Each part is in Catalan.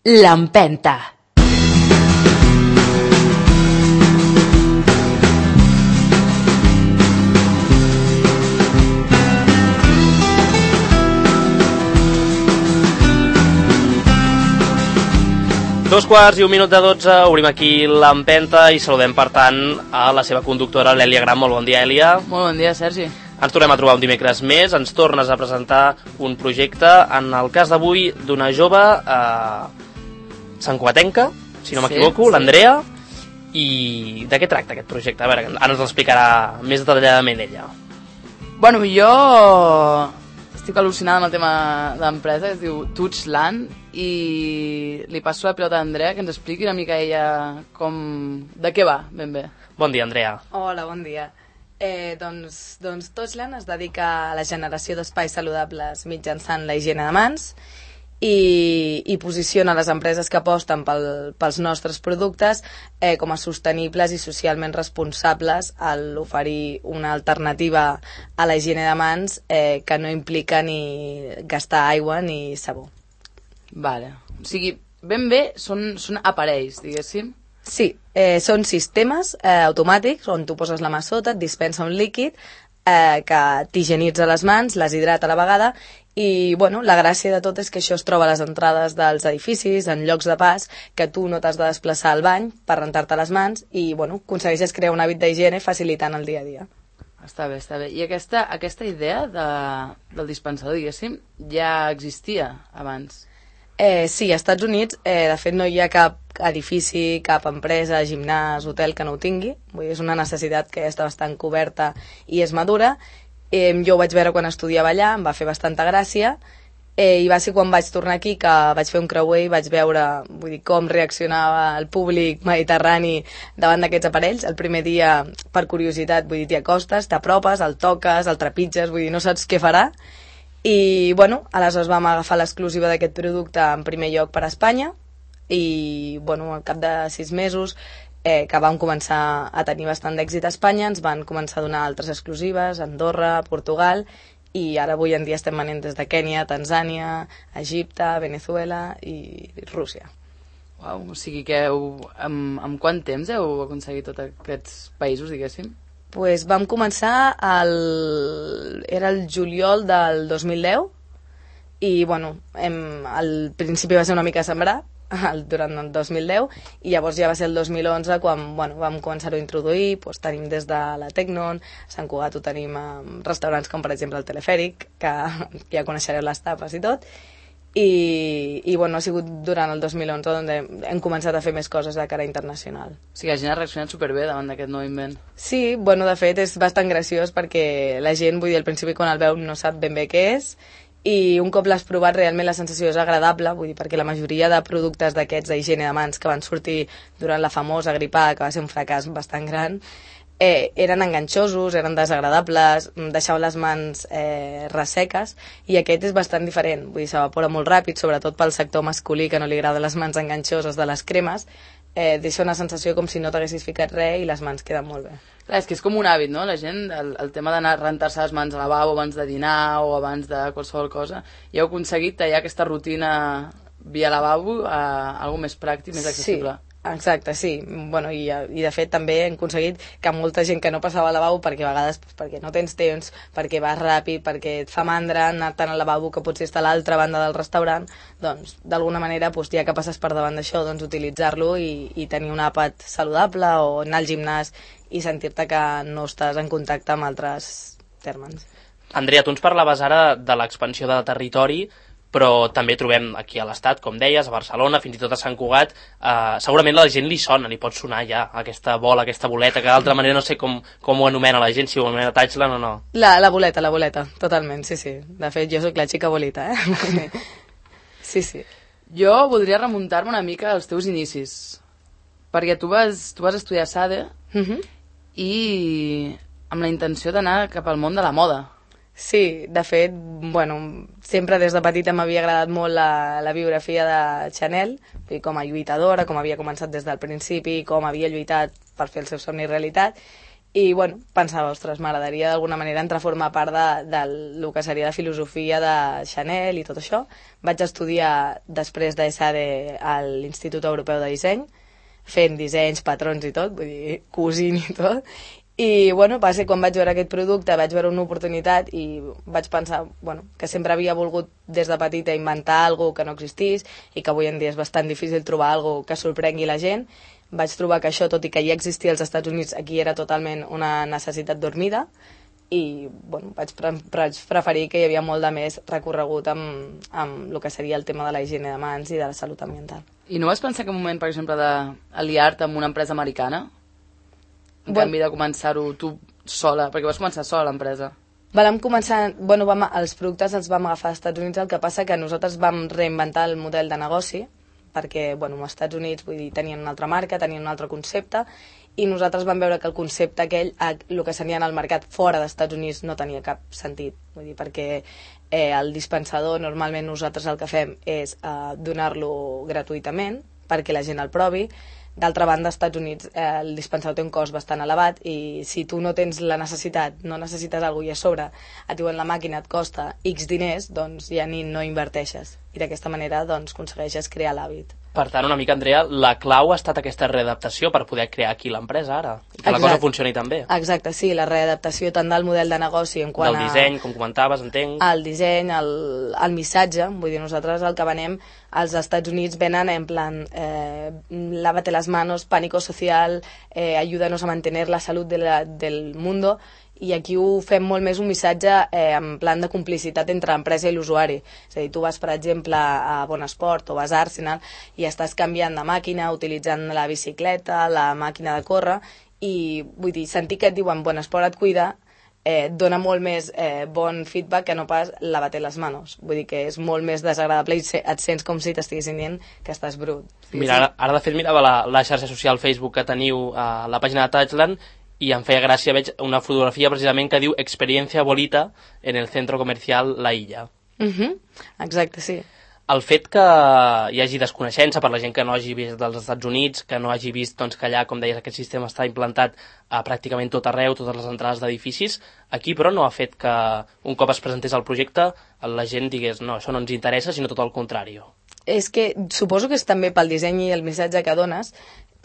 L'Empenta. Dos quarts i un minut de 12, obrim aquí l'Empenta i saludem, per tant, a la seva conductora, l'Èlia Gran. Molt bon dia, Èlia. Molt bon dia, Sergi. Ens tornem a trobar un dimecres més, ens tornes a presentar un projecte, en el cas d'avui, d'una jove santcugatenca, si no m'equivoco, l'Andrea. I de què tracta aquest projecte? A veure, ara ens l'explicarà més detalladament ella. Bueno, jo estic al·lucinada amb el tema d'empresa, que es diu Touchland, i li passo la pilota a Andrea, que ens expliqui una mica ella de què va, ben bé. Bon dia, Andrea. Hola, bon dia. Doncs Touchland es dedica a la generació d'espais saludables mitjançant la higiene de mans i posiciona les empreses que aposten pels nostres productes com a sostenibles i socialment responsables al oferir una alternativa a la higiene de mans que no implica ni gastar aigua ni sabó. Vale. O sigui, ben bé són aparells, diguéssim. Sí, són sistemes automàtics on tu poses la mà sota, et dispensa un líquid que t'higienitza les mans, les hidrata a la vegada i bueno, la gràcia de tot és que això es troba a les entrades dels edificis, en llocs de pas, que tu no t'has de desplaçar al bany per rentar-te les mans i bueno, aconsegueixes crear un hàbit d'higiene facilitant el dia a dia. Està bé, està bé. I aquesta idea del dispensador, diguéssim, ja existia abans? Sí, als Estats Units, de fet, no hi ha cap edifici, cap empresa, gimnàs, hotel que no ho tingui. Vull dir, és una necessitat que ja està bastant coberta i és madura. Jo ho vaig veure quan estudiava allà, em va fer bastanta gràcia, i va ser quan vaig tornar aquí que vaig fer un creuer i vaig veure com reaccionava el públic mediterrani davant d'aquests aparells. El primer dia, per curiositat, t'hi acostes, t'apropes, el toques, el trepitges, no saps què farà. I, bueno, aleshores vam agafar l'exclusiva d'aquest producte en primer lloc per a Espanya i, bueno, al cap de 6 mesos que vam començar a tenir bastant d'èxit a Espanya, ens van començar a donar altres exclusives, Andorra, Portugal, i ara avui en dia estem venent des de Kènia, Tanzània, Egipte, Venezuela i Rússia. Uau, o sigui que en quant temps heu aconseguit tots aquests països, diguéssim? Pues vam començar era el juliol del 2010 i bueno, al principi va ser una mica sembrar durant el 2010 i llavors ja va ser el 2011 quan vam començar-ho a introduir. Tenim des de la Tecnon, a Sant Cugat ho tenim a restaurants com per exemple el Telefèric, que ja coneixereu les tapes i tot. I bueno, ha sigut durant el 2011 on hem començat a fer més coses de cara internacional. O sigui, la gent ha reaccionat superbé davant d'aquest nou invent. Sí, bueno, de fet és bastant graciós perquè la gent, al principi quan el veu no sap ben bé què és i un cop l'has provat realment la sensació és agradable, perquè la majoria de productes d'aquests d'higiene de mans que van sortir durant la famosa gripada, que va ser un fracàs bastant gran, eren enganxosos, eren desagradables, deixaven les mans resseques i aquest és bastant diferent, s'evapora molt ràpid, sobretot pel sector masculí que no li agrada les mans enganxoses de les cremes, deixa una sensació com si no t'haguessis ficat res i les mans queden molt bé. Clar, és que és com un hàbit, no? La gent, el tema d'anar a rentar-se les mans al lavabo abans de dinar o abans de qualsevol cosa, ja heu aconseguit tallar aquesta rutina via lavabo a alguna més pràctic, més accessible. Sí. Exacte, sí. Bueno, i de fet també hem aconseguit que molta gent que no passava al lavabo perquè a vegades perquè no tens temps, perquè vas ràpid, perquè et fa mandra anar-te'n al lavabo que potser està a l'altra banda del restaurant, doncs d'alguna manera ja que passes per davant d'això, doncs utilitzar-lo i tenir un àpat saludable o anar al gimnàs i sentir-te que no estàs en contacte amb altres tèrmens. Andrea, tu ens parlaves ara de l'expansió de territori, però també trobem aquí a l'Estat, com deies, a Barcelona, fins i tot a Sant Cugat. Segurament a la gent li sona, li pot sonar ja aquesta bola, aquesta boleta, que d'altra manera no sé com ho anomena la gent, si ho anomena Touchland o no. La boleta, totalment, sí. De fet, jo sóc la xica bolita, Sí. Jo voldria remuntar-me una mica als teus inicis, perquè tu vas estudiar SADE i amb la intenció d'anar cap al món de la moda. Sí, de fet, sempre des de petita m'havia agradat molt la biografia de Chanel, com a lluitadora, com havia començat des del principi, com havia lluitat per fer el seu somni realitat, I, bueno, pensava, ostres, m'agradaria d'alguna manera entrar a formar part del que seria la filosofia de Chanel i tot això. Vaig estudiar després d'ESADE a l'Institut Europeu de Disseny, fent dissenys, patrons i tot, vull dir, cosint i tot. I, bueno, va ser quan vaig veure aquest producte, vaig veure una oportunitat i vaig pensar, bueno, que sempre havia volgut des de petita inventar alguna que no existís i que avui en dia és bastant difícil trobar alguna que sorprengui la gent. Vaig trobar que això, tot i que ja existia als Estats Units, aquí era totalment una necessitat dormida i, bueno, vaig preferir que hi havia molt de més recorregut amb el que seria el tema de la higiene de mans i de la salut ambiental. I no vas pensar que en un moment, per exemple, d'aliar-te amb una empresa americana? En canvi de començar-ho tu sola, perquè vas començar sola l'empresa. Vam començar, bueno, els productes els vam agafar als Estats Units, el que passa que nosaltres vam reinventar el model de negoci, perquè, bueno, als Estats Units, vull dir, tenien una altra marca, tenien un altre concepte, i nosaltres vam veure que el concepte aquell, el que seria en el mercat fora dels Estats Units, no tenia cap sentit, vull dir, perquè el dispensador, normalment nosaltres el que fem és donar-lo gratuïtament, perquè la gent el provi. D'altra banda, als Estats Units el dispensador té un cost bastant elevat i si tu no tens la necessitat, no necessites alguna cosa i a sobre et diuen la màquina et costa X diners, doncs ja no inverteixes. I d'aquesta manera doncs, aconsegueixes crear l'hàbit. Per tant, una mica, Andrea, la clau ha estat aquesta readaptació per poder crear aquí l'empresa ara, i que la cosa funcioni tan bé. Exacte, sí, la readaptació tant del model de negoci en quant del disseny, com comentaves, entenc. El disseny, el missatge, vull dir, nosaltres el que venem als Estats Units venen en plan lávate las manos, pánico social, ayúdanos a mantener la salud del mundo, i aquí ho fem molt més un missatge en plan de complicitat entre l'empresa i l'usuari. És a dir, tu vas, per exemple, a Bonesport o vas a Arsenal i estàs canviant de màquina, utilitzant la bicicleta, la màquina de córrer, i vull dir, sentir que et diuen Bonesport et cuida, dona molt més bon feedback que no pas lávate les manos. Vull dir que és molt més desagradable i et sents com si t'estiguessin dient que estàs brut. Mira, ara de fet mirava la xarxa social Facebook que teniu a la pàgina de Touchland i em feia gràcia, veig una fotografia precisament que diu Experiencia Bolita en el centro comercial La Illa. Exacte, sí. El fet que hi hagi desconeixença per la gent que no hagi vist dels Estats Units, que no hagi vist doncs, que allà, com deies, aquest sistema està implantat a pràcticament tot arreu, totes les entrades d'edificis, aquí però no ha fet que un cop es presentés el projecte la gent digués no, això no ens interessa, sinó tot el contrari. És que suposo que és també pel disseny i el missatge que dones,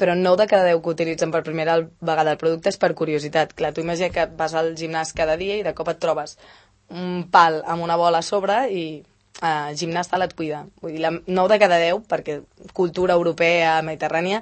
però 9 de cada 10 que utilitzen per primera vegada el producte és per curiositat. Clar, tu imagina que vas al gimnàs cada dia i de cop et trobes un pal amb una bola a sobre i gimnàs tal et cuida. Vull dir, 9 de cada 10, perquè cultura europea, mediterrània,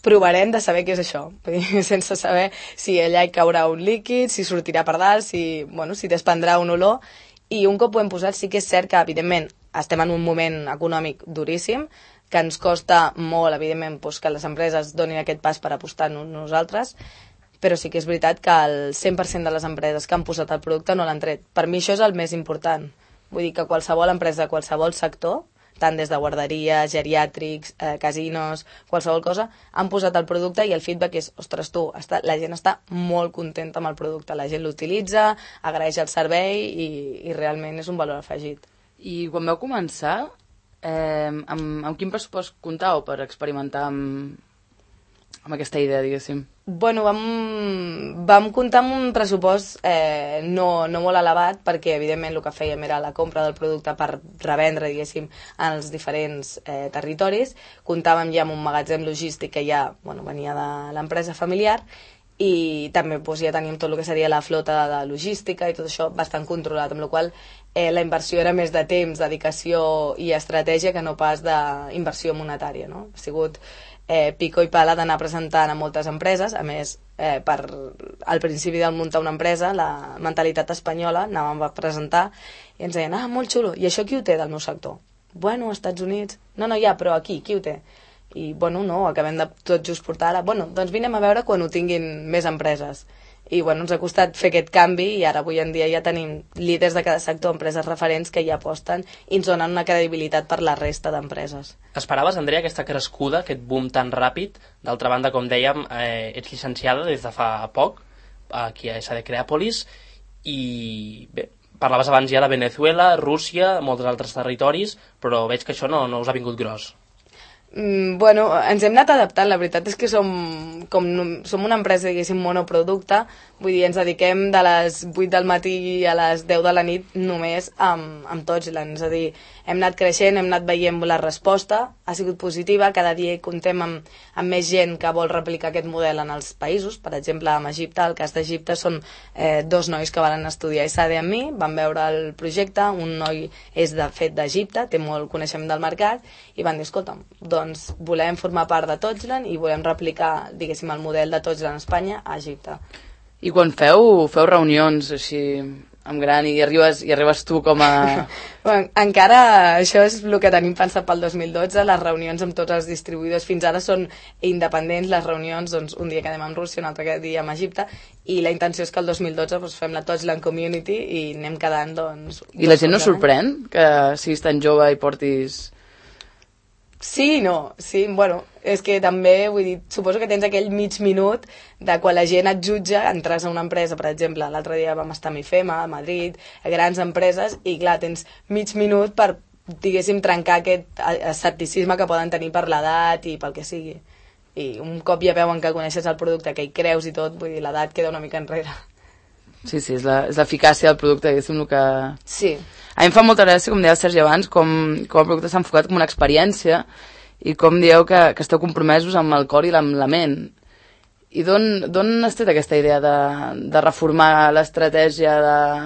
provarem de saber què és això. Vull dir, sense saber si allà hi caurà un líquid, si sortirà per dalt, si desprendrà un olor. I un cop ho hem posat, sí que és cert que, evidentment, estem en un moment econòmic duríssim, que ens costa molt, evidentment, doncs, que les empreses donin aquest pas per apostar en nosaltres, però sí que és veritat que el 100% de les empreses que han posat el producte no l'han tret. Per mi això és el més important. Vull dir que qualsevol empresa de qualsevol sector, tant des de guarderies, geriàtrics, casinos, qualsevol cosa, han posat el producte i el feedback és, ostres, la gent està molt contenta amb el producte, la gent l'utilitza, agraeix el servei i realment és un valor afegit. I quan vau començar, amb quin pressupost comptàveu per experimentar amb aquesta idea, diguéssim? Bueno, vam comptar amb un pressupost no molt elevat, perquè evidentment el que fèiem era la compra del producte per revendre, diguéssim, en els diferents territoris. Comptàvem ja amb un magatzem logístic que ja venia de l'empresa familiar, i també ja teníem tot el que seria la flota de logística i tot això bastant controlat, amb la qual la inversió era més de temps, dedicació i estratègia que no pas d'inversió monetària, no? Ha sigut pico i pala d'anar presentant a moltes empreses. A més, al principi del muntar una empresa, la mentalitat espanyola, anàvem a presentar i ens deien, molt xulo, i això qui ho té del meu sector? Bueno, als Estats Units. No, ja, però aquí, qui ho té? I, no, acabem de tot just portar ara. Doncs vinem a veure quan ho tinguin més empreses. I, ens ha costat fer aquest canvi i ara, avui en dia, ja tenim líders de cada sector, empreses referents que ja aposten i ens donen una credibilitat per la resta d'empreses. Esperaves, Andrea, aquesta crescuda, aquest boom tan ràpid? D'altra banda, com dèiem, ets llicenciada des de fa poc, aquí a ESADE Creàpolis, i bé, parlaves abans ja de Venezuela, Rússia, molts altres territoris, però veig que això no us ha vingut gros. Bueno, ens hem anat adaptant, la veritat és que som una empresa, diguéssim, monoproducte, vull dir, ens dediquem de les 8 del matí a les 10 de la nit només amb Touchland, és a dir, hem anat creixent, hem anat veient la resposta, ha sigut positiva, cada dia contem amb més gent que vol replicar aquest model en els països, per exemple, amb Egipte, el cas d'Egipte són 2 nois que van estudiar ISADE amb mi, van veure el projecte, un noi és de fet d'Egipte, té molt coneixement del mercat, i van dir, escolta'm, doncs volem formar part de Touchland i volem replicar, diguéssim, el model de Touchland a Espanya a Egipte. I quan feu reunions així amb gran i arribes tu com a... Bueno, encara això és el que tenim pensat pel 2012, les reunions amb tots els distribuïdors fins ara són independents, les reunions, doncs un dia quedem amb Rússia, un altre dia amb Egipte, i la intenció és que el 2012 doncs, fem la Touchland Community i anem quedant, doncs... I la gent no sorprèn que siguis tan jove i portis... Sí, no, sí, bueno, és que també, vull dir, suposo que tens aquell mig minut de quan la gent et jutja, entres a una empresa, per exemple, l'altre dia vam estar a Mifema, a Madrid, a grans empreses, i clar, tens mig minut per, diguéssim, trencar aquest escepticisme que poden tenir per l'edat i pel que sigui. I un cop ja veuen que coneixes el producte, que hi creus i tot, vull dir, l'edat queda una mica enrere. Sí, és l'eficàcia del producte, diguéssim, el que... Sí. A mi em fa molta gràcia, com deia el Sergi abans, com el producte s'ha enfocat com una experiència i com dieu que esteu compromesos amb el cor i amb la ment. I d'on has tret aquesta idea de reformar l'estratègia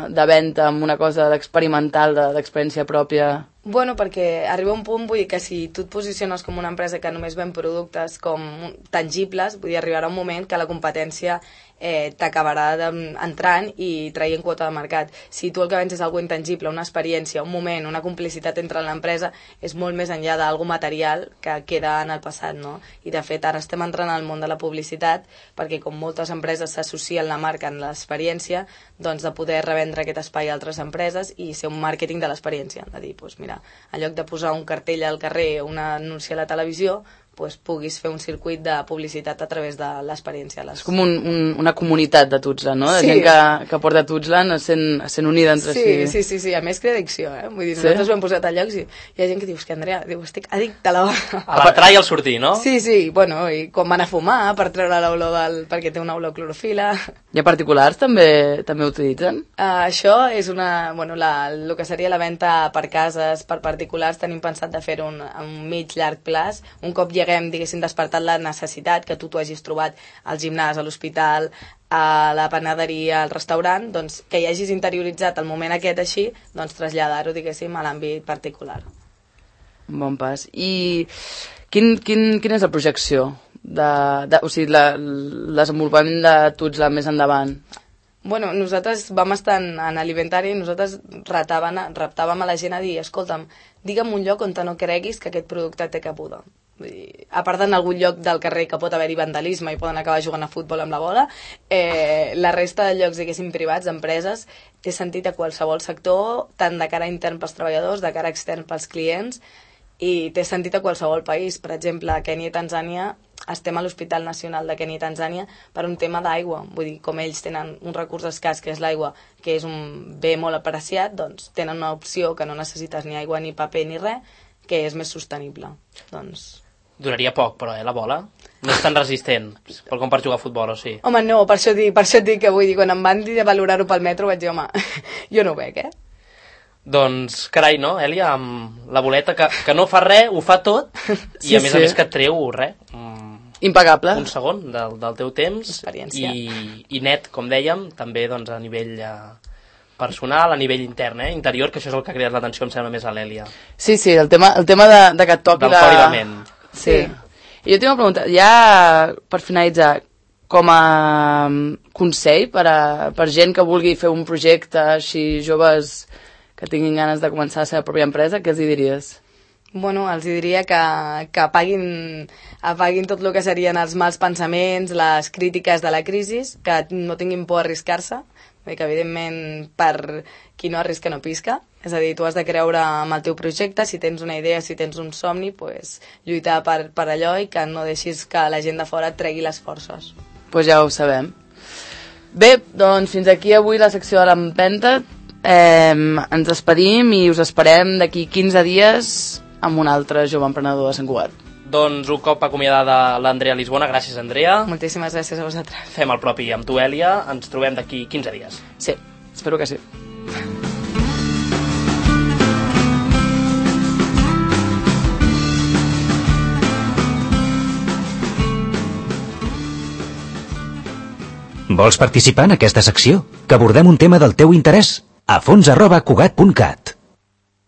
de venda amb una cosa d'experimental, d'experiència pròpia? Bueno, perquè arriba un punt, vull dir que si tu et posiciones com una empresa que només ven productes com tangibles, vull dir, arribarà un moment que la competència t'acabarà entrant i traient quota de mercat. Si tu el que vens és alguna intangible, una experiència, un moment, una complicitat entre l'empresa, és molt més enllà d'algú material que queda en el passat, no? I de fet ara estem entrant al món de la publicitat perquè com moltes empreses s'associen la marca en l'experiència, doncs de poder revendre aquest espai a altres empreses i ser un màrqueting de l'experiència, de dir, doncs mira, en lloc de posar un cartell al carrer o un anunci a la televisió, pues, puguis fer un circuit de publicitat a través de l'experiència. És com una comunitat de Touchland, no? De sí. Gent que porta Touchland sent unida entre si. Sí. A més crea addicció, eh? Vull dir, nosaltres ho hem posat a llocs i hi ha gent que diu, que Andrea, estic addicte a la... A l'entrar i al sortir, no? Sí, bueno, i quan van a fumar per treure l'olor perquè té una olor clorofila. I a particulars també ho utilitzen? Això és el que seria la venda per cases, per particulars, tenim pensat de fer-ho a un mig llarg plaç, un cop haguem, diguéssim, despertat la necessitat que tu t'ho hagis trobat al gimnàs, a l'hospital, a la panaderia, al restaurant, doncs que hi hagis interioritzat el moment aquest així, doncs traslladar-ho, diguéssim, a l'àmbit particular. Bon pas. I quina és la projecció? O sigui, el desenvolupament de Touchland més endavant? Bueno, nosaltres vam estar en l'Inventari i nosaltres reptàvem a la gent a dir, escolta'm, digue'm un lloc on no creguis que aquest producte té cabuda. A part d'en algun lloc del carrer que pot haver-hi vandalisme i poden acabar jugant a futbol amb la bola, la resta de llocs, diguéssim, privats, d'empreses, té sentit a qualsevol sector, tant de cara intern pels treballadors, de cara extern pels clients, i té sentit a qualsevol país. Per exemple, a Kènia i Tanzània estem a l'Hospital Nacional de Kènia i Tanzània per un tema d'aigua. Vull dir, com ells tenen un recurs escàs, que és l'aigua, que és un bé molt apreciat, doncs tenen una opció que no necessites ni aigua, ni paper, ni res, que és més sostenible. Doncs... Duraria poc, però, la bola? No és tan resistent, com per jugar a futbol, o sí? Home, no, per això et dic que vull dir, quan em van dir de valorar-ho pel metro, vaig dir, home, jo no ho veig, Doncs, carai, no, Èlia, amb la boleta que no fa res, ho fa tot, i a més a més que et treu res. Impagable. Un segon del teu temps. I net, com dèiem, també doncs, a nivell personal, a nivell intern, interior, que això és el que ha creat l'atenció, em sembla més a l'Èlia. Sí, el tema de que et toqui del cor i la ment. Sí. I jo tinc una pregunta, ja per finalitzar, com a consell per gent que vulgui fer un projecte així, joves que tinguin ganes de començar la seva pròpia empresa, què els hi diries? Bueno, els diria que apaguin tot el que serien els mals pensaments, les crítiques de la crisi, que no tinguin por a arriscar-se, que evidentment per qui no arrisca no pisca, és a dir, tu has de creure en el teu projecte, si tens una idea, si tens un somni, pues, lluitar per allò i que no deixis que la gent de fora et tregui les forces. Pues ja ho sabem. Bé, doncs fins aquí avui la secció de l'Empenta. Ens despedim i us esperem d'aquí 15 dies amb un altre jove emprenedor de Sant Cugat. Doncs un cop acomiadada l'Andrea Lisbona, gràcies Andrea. Moltíssimes gràcies a vosaltres. Fem el propi amb tu, Èlia, ens trobem d'aquí 15 dies. Sí, espero que sí. Vols participar en aquesta secció? Que abordem un tema del teu interès? afons@cugat.cat